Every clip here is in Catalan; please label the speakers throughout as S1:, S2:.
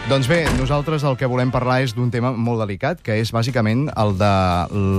S1: Doncs bé, nosaltres el que volem parlar és d'un tema molt delicat, que és bàsicament el de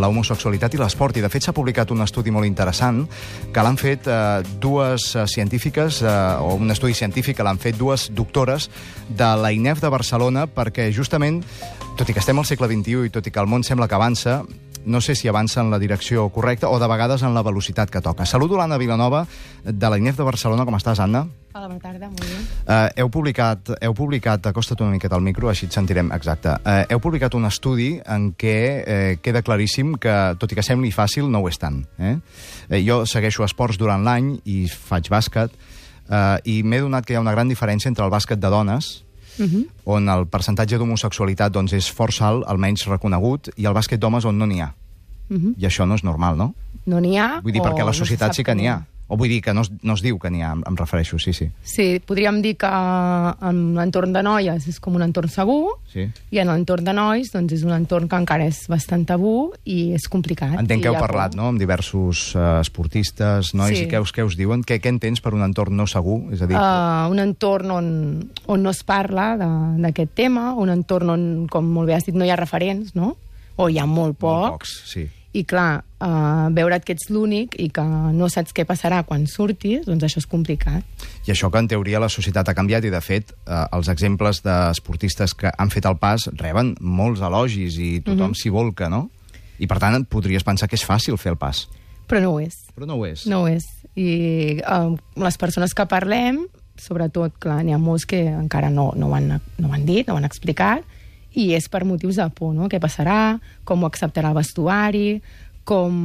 S1: l'homosexualitat i l'esport. I de fet s'ha publicat un estudi molt interessant que l'han fet dues científiques, o un estudi científic que l'han fet dues doctores de la INEF de Barcelona, perquè justament, tot i que estem al segle XXI i tot i que el món sembla que avança, no sé si avança en la direcció correcta o de vegades en la velocitat que toca. Saludo l'Anna Vilanova, de la INEF de Barcelona. Com estàs, Anna?
S2: Hola, bona tarda, molt bé.
S1: Heu publicat, acosta't una miqueta al micro, així et sentirem, exacte. Heu publicat un estudi en què queda claríssim que, tot i que sembli fàcil, no ho és tant. Jo segueixo esports durant l'any i faig bàsquet, i m'he donat que hi ha una gran diferència entre el bàsquet de dones, on el percentatge d'homosexualitat doncs, és força alt, almenys reconegut, i el bàsquet d'homes on no n'hi ha. I això no és normal, no?
S2: No n'hi ha?
S1: Vull dir, perquè a la societat sí que n'hi ha. O vull dir que no es diu que n'hi ha, em refereixo, sí.
S2: Sí, podríem dir que en l'entorn de noies és com un entorn segur, i en l'entorn de nois doncs és un entorn que encara és bastant tabú i és complicat.
S1: Entenc que heu parlat, no?, amb diversos esportistes, nois, i què us diuen? Què entens per un entorn no segur? És a dir...
S2: Un entorn on no es parla d'aquest tema, un entorn on, com molt bé has dit, no hi ha referents, no? O hi ha molt pocs.
S1: Molt pocs, sí.
S2: I clar, veure't que ets l'únic i que no saps què passarà quan surtis, doncs això és complicat.
S1: I això que en teoria la societat ha canviat i de fet els exemples d'esportistes que han fet el pas reben molts elogis i tothom s'hi volca, no? I per tant podries pensar que és fàcil fer el pas.
S2: Però no ho és.
S1: Però no ho és.
S2: No ho és. I les persones que parlem, sobretot, clar, n'hi ha molts que encara no ho han dit, no ho han explicat, i és per motius de por, no? Què passarà, com ho acceptarà el vestuari, com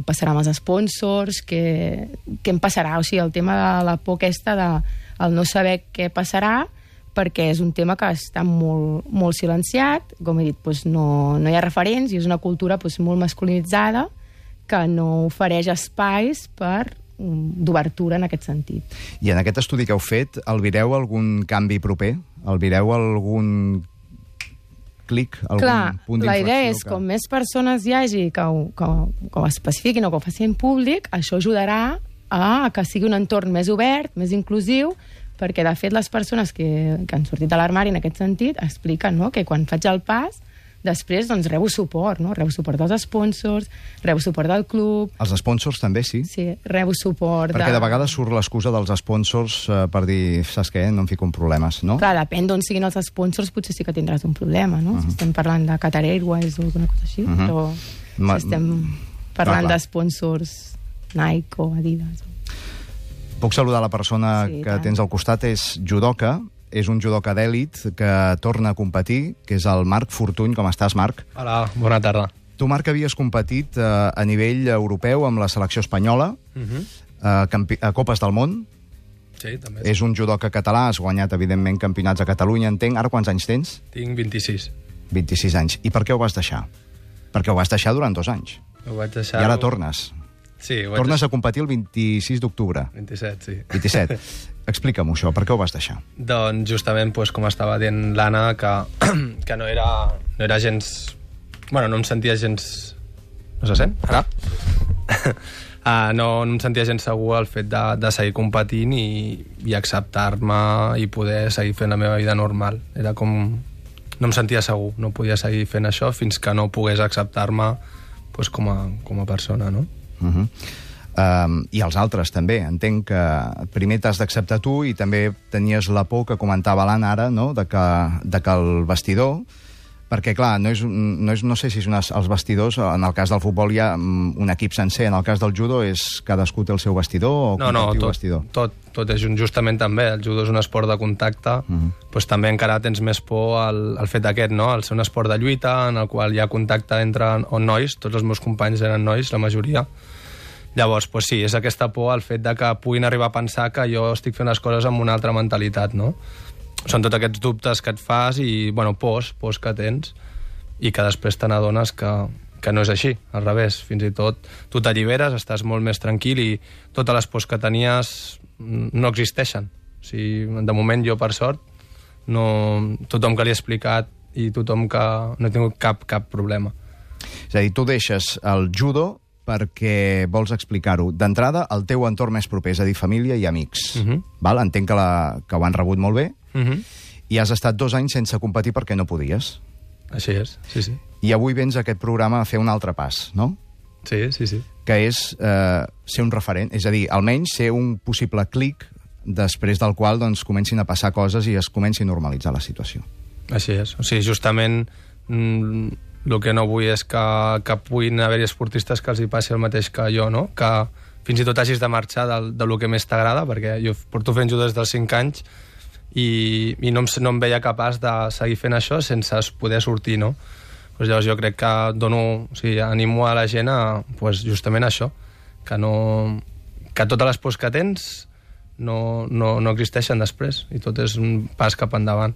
S2: passarà amb els sponsors, què em passarà. O sigui, el tema de la por aquesta, el no saber què passarà, perquè és un tema que està molt silenciat, com he dit, doncs no hi ha referents, i és una cultura molt masculinitzada que no ofereix espais d'obertura en aquest sentit.
S1: I en aquest estudi que heu fet, albireu algun canvi proper? Albireu algun clic, algun punt d'inflexió?
S2: Clar, la idea és que com més persones hi hagi que ho especifiquin o que ho facin públic, això ajudarà a que sigui un entorn més obert, més inclusiu, perquè de fet les persones que han sortit de l'armari en aquest sentit expliquen, no?, que quan faig el pas després, doncs, rebo suport, no? Rebo suport dels sponsors, rebo suport del club...
S1: Els sponsors també, sí?
S2: Sí, rebo suport
S1: Perquè de vegades surt l'excusa dels sponsors per dir, saps què, no em fico en problemes, no?
S2: Clar, depèn d'on siguin els sponsors, potser sí que tindràs un problema, no? Si estem parlant de Qatar Airways o alguna cosa així, però si estem parlant de sponsors Nike o Adidas...
S1: Puc saludar la persona que tens al costat, és judoka, és un judoka d'èlit que torna a competir, que és el Marc Fortuny. Com estàs, Marc?
S3: Hola, bona tarda.
S1: Tu, Marc, havies competit a nivell europeu amb la selecció espanyola, a Copes del Món.
S3: Sí, també.
S1: És un judoka català, has guanyat, evidentment, campionats a Catalunya, entenc. Ara quants anys tens?
S3: Tinc 26.
S1: 26 anys. I per què ho vas deixar? Perquè ho vas deixar durant 2 anys.
S3: Ho vaig deixar...
S1: I ara tornes.
S3: Sí,
S1: tornes a competir el 26 d'octubre.
S3: 27, sí.
S1: 27. Explica'm això, per què ho vas deixar?
S3: Doncs justament, com estava dient l'Anna, que no era gens... Bueno, no em sentia gens... No se sent? Ara? No em sentia gens segur el fet de seguir competint i acceptar-me i poder seguir fent la meva vida normal. Era com... No em sentia segur, no podia seguir fent això fins que no pogués acceptar-me com a persona, no?
S1: I els altres també. Entenc que primer t'has d'acceptar tu i també tenies la por que comentava l'Anna ara, no?, de que el vestidor, perquè clar, no sé si els vestidors, en el cas del futbol hi ha un equip sencer, en el cas del judo és cadascú té el seu vestidor o compartiu vestidor?
S3: Tot és justament també, el judo és un esport de contacte, doncs també encara tens més por al fet aquest, no?, al ser un esport de lluita en el qual hi ha contacte entre nois, tots els meus companys eren nois, la majoria. Llavors, doncs sí, és aquesta por al fet de que puguin arribar a pensar que jo estic fent les coses amb una altra mentalitat, no? Són tots aquests dubtes que et fas i, bueno, pors que tens i que després te n'adones que no és així, al revés. Fins i tot tu t'alliberes, estàs molt més tranquil i totes les pors que tenies no existeixen. O sigui, de moment jo, per sort, tothom que li he explicat i tothom que no he tingut cap problema.
S1: És a dir, tu deixes el judo perquè vols explicar-ho. D'entrada, el teu entorn més proper, és a dir, família i amics. Val? Entenc que ho han rebut molt bé. I has estat 2 anys sense competir perquè no podies.
S3: Així és, sí, sí.
S1: I avui vens a aquest programa a fer un altre pas, no?
S3: Sí, sí, sí.
S1: Que és ser un referent, és a dir, almenys ser un possible clic després del qual doncs, comencin a passar coses i es comenci a normalitzar la situació.
S3: Així és. O sigui, justament el que no vull és que puguin haver-hi esportistes que els hi passi el mateix que jo, no? Que fins i tot hagis de marxar de lo que més t'agrada, perquè jo porto fent judo des dels 5 anys i no em veia capaç de seguir fent això sense poder sortir, no? Pues llavors jo crec que animo a la gent a justament això, que totes les pors que tens no existeixen després i tot és un pas cap endavant.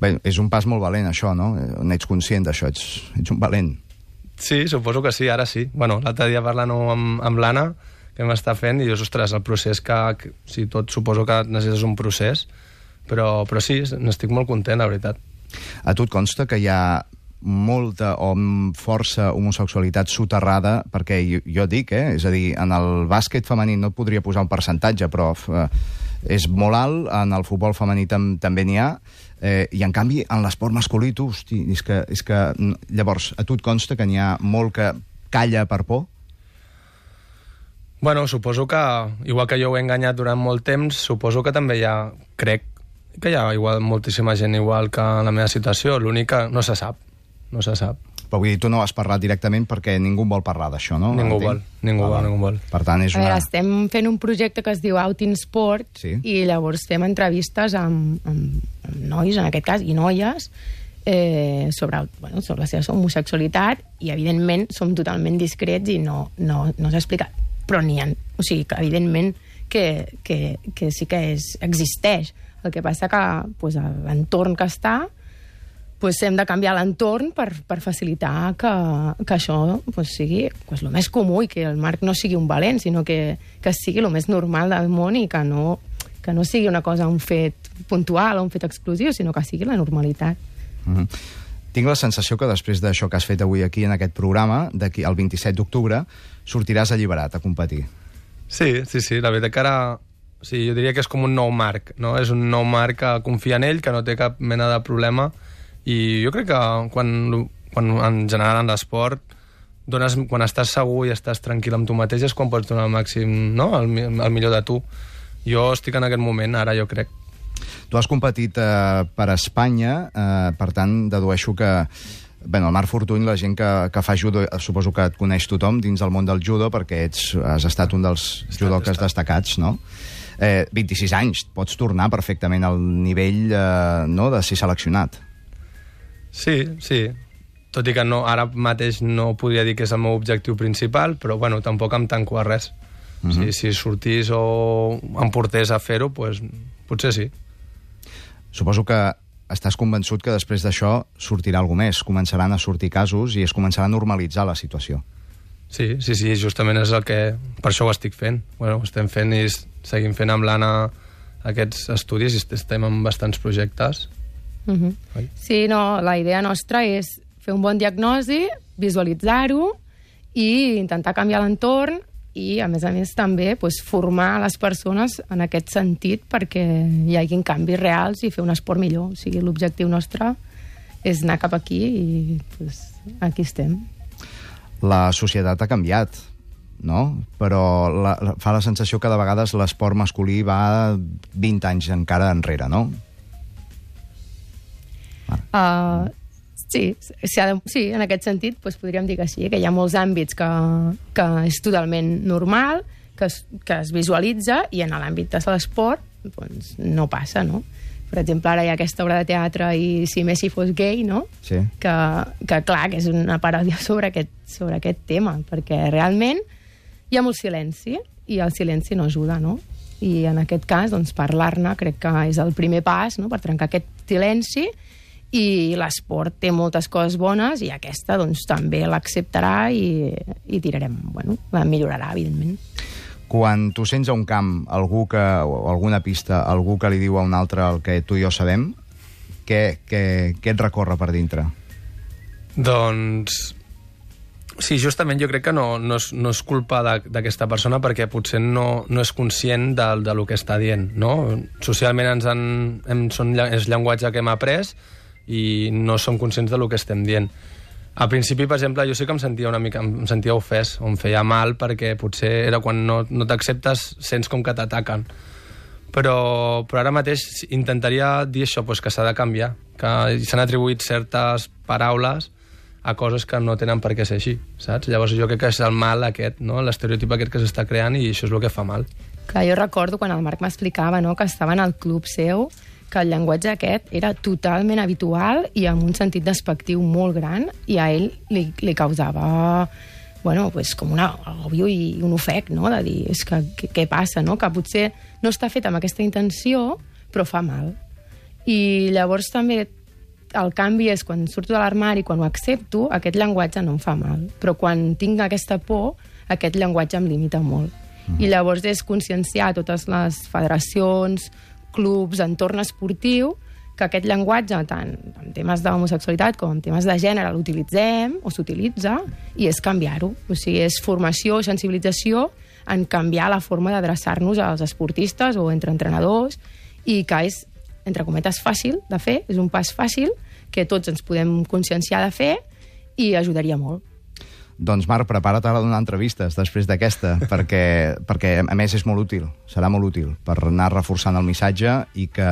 S1: Bé, és un pas molt valent, això, no? N'ets conscient d'això, ets un valent.
S3: Sí, suposo que sí, ara sí. Bueno, l'altre dia parlant amb l'Anna, que m'està fent, i dius, ostres, el procés sí, tot suposo que necessites un procés, però sí, n'estic molt content, la veritat.
S1: A tu et consta que hi ha molta o força homosexualitat soterrada, perquè jo dic, és a dir, en el bàsquet femení no et podria posar un percentatge, però és molt alt, en el futbol femení també n'hi ha, i en canvi en l'esport masculí, tu, hosti, és que llavors, a tu et consta que n'hi ha molt que calla per por?
S3: Bueno, suposo que, igual que jo ho he enganyat durant molt temps, suposo que també crec que hi ha igual moltíssima gent igual que en la meva situació, l'únic que no se sap.
S1: Però vull dir, tu no has parlat directament perquè ningú vol parlar d'això, no?
S3: Ningú vol.
S1: Per tant, és una...
S2: A veure, estem fent un projecte que es diu Out in Sport, sí. I llavors fem entrevistes amb nois, en aquest cas, i noies, sobre la seva homosexualitat, i evidentment som totalment discrets i no s'ha explicat. Però n'hi ha, o sigui, que evidentment que sí que existeix. El que passa que l'entorn que està, hem de canviar l'entorn per facilitar que això sigui el més comú i que el Marc no sigui un valent, sinó que sigui el més normal del món i que no sigui una cosa, un fet puntual o un fet exclusiu, sinó que sigui la normalitat.
S1: Mm-hmm. Tinc la sensació que després d'això que has fet avui aquí en aquest programa, d'aquí el 27 d'octubre, sortiràs alliberat a competir. Sí,
S3: la veritat que ara... Sí, jo diria que és com un nou Marc, no? És un nou Marc que confia en ell, que no té cap mena de problema, i jo crec que quan en general en l'esport quan estàs segur i estàs tranquil amb tu mateix és quan pots donar el màxim, no? El millor de tu. Jo estic en aquest moment, ara jo crec.
S1: Tu has competit per Espanya, per tant dedueixo que el Marc Fortuny, la gent que fa judo, suposo que et coneix tothom dins del món del judo perquè has estat un dels judoques destacats, no? 26 anys, pots tornar perfectament al nivell de ser seleccionat.
S3: Sí. Tot i que ara mateix no podria dir que és el meu objectiu principal, però tampoc em tanco a res. Mm-hmm. Si sortís o em portés a fer-ho, potser sí.
S1: Suposo que estàs convençut que després d'això sortirà alguna més. Començaran a sortir casos i es començarà a normalitzar la situació.
S3: Sí, justament és el que... Per això ho estic fent. Ho estem fent i seguim fent amb l'Anna aquests estudis i estem en bastants projectes.
S2: Mm-hmm. Sí, la idea nostra és fer un bon diagnosi, visualitzar-ho i intentar canviar l'entorn i, a més també, formar les persones en aquest sentit perquè hi hagin canvis reals i fer un esport millor. O sigui, l'objectiu nostre és anar cap aquí i aquí estem.
S1: La societat ha canviat, no? Però fa la sensació que de vegades l'esport masculí va 20 anys encara enrere, no?
S2: Sí, en aquest sentit podríem dir que sí, que hi ha molts àmbits que és totalment normal, que es visualitza, i en l'àmbit de l'esport no passa, no? Per exemple, ara hi ha aquesta obra de teatre i Si Messi fos gay, no?
S1: Sí.
S2: Que clar, que és una paròdia sobre aquest tema, perquè realment hi ha molt silenci i el silenci no ajuda, no? I en aquest cas, parlar-ne crec que és el primer pas, no?, per trencar aquest silenci, i l'esport té moltes coses bones i aquesta també l'acceptarà i tirarem, la millorarà, evidentment.
S1: Quan tu sents a un camp o alguna pista, algú que li diu a un altre el que tu i jo sabem, què et recorre per dintre?
S3: Doncs Sí, justament jo crec que no és culpa d'aquesta persona perquè potser no és conscient del que està dient, no? Socialment és llenguatge que hem après i no som conscients del que estem dient. Al principi, per exemple, jo sí que em sentia ofès, o em feia mal, perquè potser era quan no t'acceptes, sents com que t'ataquen. Però ara mateix intentaria dir això, que s'ha de canviar, que s'han atribuït certes paraules a coses que no tenen per què ser així, saps? Llavors jo crec que és el mal aquest, no? L'estereotip aquest que s'està creant i això és el que fa mal.
S2: Clar, jo recordo quan el Marc m'explicava, no?, que estava en el club seu, que el llenguatge aquest era totalment habitual i amb un sentit despectiu molt gran i a ell li causava com un agòbio i un ofec, no?, de dir, és que què passa, no?, que potser no està fet amb aquesta intenció, però fa mal. I llavors també el canvi és quan surto de l'armari, quan ho accepto, aquest llenguatge no em fa mal. Però quan tinc aquesta por, aquest llenguatge em limita molt. I llavors és conscienciar totes les federacions, clubs, entorn esportiu, que aquest llenguatge, tant en temes d'homosexualitat com en temes de gènere, l'utilitzem o s'utilitza, i és canviar-ho. O sigui, és formació, sensibilització en canviar la forma d'adreçar-nos als esportistes o entre entrenadors, i que és, entre cometes, fàcil de fer, és un pas fàcil que tots ens podem conscienciar de fer i ajudaria molt.
S1: Doncs, Marc, prepara't ara a donar entrevistes després d'aquesta, perquè a més és molt útil, serà molt útil per anar reforçant el missatge i que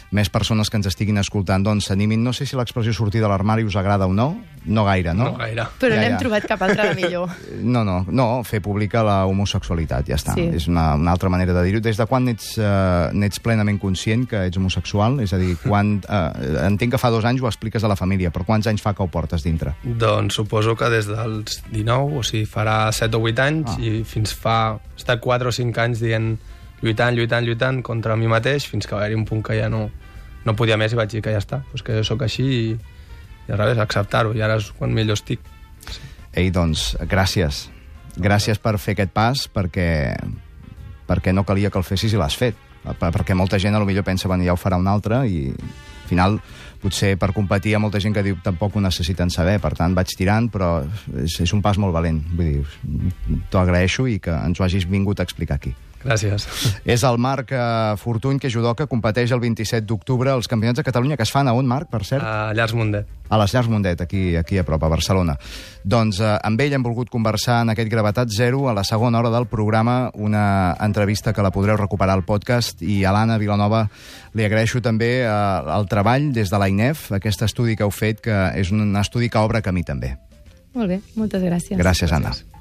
S1: més persones que ens estiguin escoltant doncs s'animin. No sé si l'expressió sortir de l'armari us agrada o no. No gaire, no?
S3: No gaire.
S2: Però n'hem trobat cap altra de millor.
S1: No, fer pública la homosexualitat, ja està. Sí. És una altra manera de dir-ho. Des de quan n'ets plenament conscient que ets homosexual? És a dir, entenc que fa 2 anys ho expliques a la família, però quants anys fa que ho portes dintre?
S3: Doncs suposo que des dels 19, o sigui, farà 7 o 8 anys, i fins fa 4 o 5 anys dient lluitant contra mi mateix, fins que va haver-hi un punt que ja no podia més i vaig dir que ja està, que jo sóc així i al revés, acceptar-ho, i ara és quan millor estic. Sí.
S1: Ei, doncs, gràcies. Gràcies per fer aquest pas, perquè no calia que el fessis i l'has fet. Perquè molta gent potser pensa, ja ho farà un altre, i al final, potser per competir hi ha molta gent que diu tampoc ho necessiten saber, per tant vaig tirant, però és un pas molt valent. Vull dir, t'ho agraeixo i que ens ho hagis vingut a explicar aquí.
S3: Gràcies.
S1: És el Marc Fortuny, que judoka, competeix el 27 d'octubre als Campionats de Catalunya, que es fan a on, Marc, per cert?
S3: A Llars Mundet.
S1: A les Llars Mundet, aquí a prop, a Barcelona. Doncs amb ell hem volgut conversar en aquest Gravetat Zero, a la segona hora del programa, una entrevista que la podreu recuperar al podcast, i a l'Anna Vilanova li agraeixo també el treball des de l'AINEF, aquest estudi que heu fet, que és un estudi que obre camí també.
S2: Molt bé, moltes gràcies.
S1: Gràcies, Anna.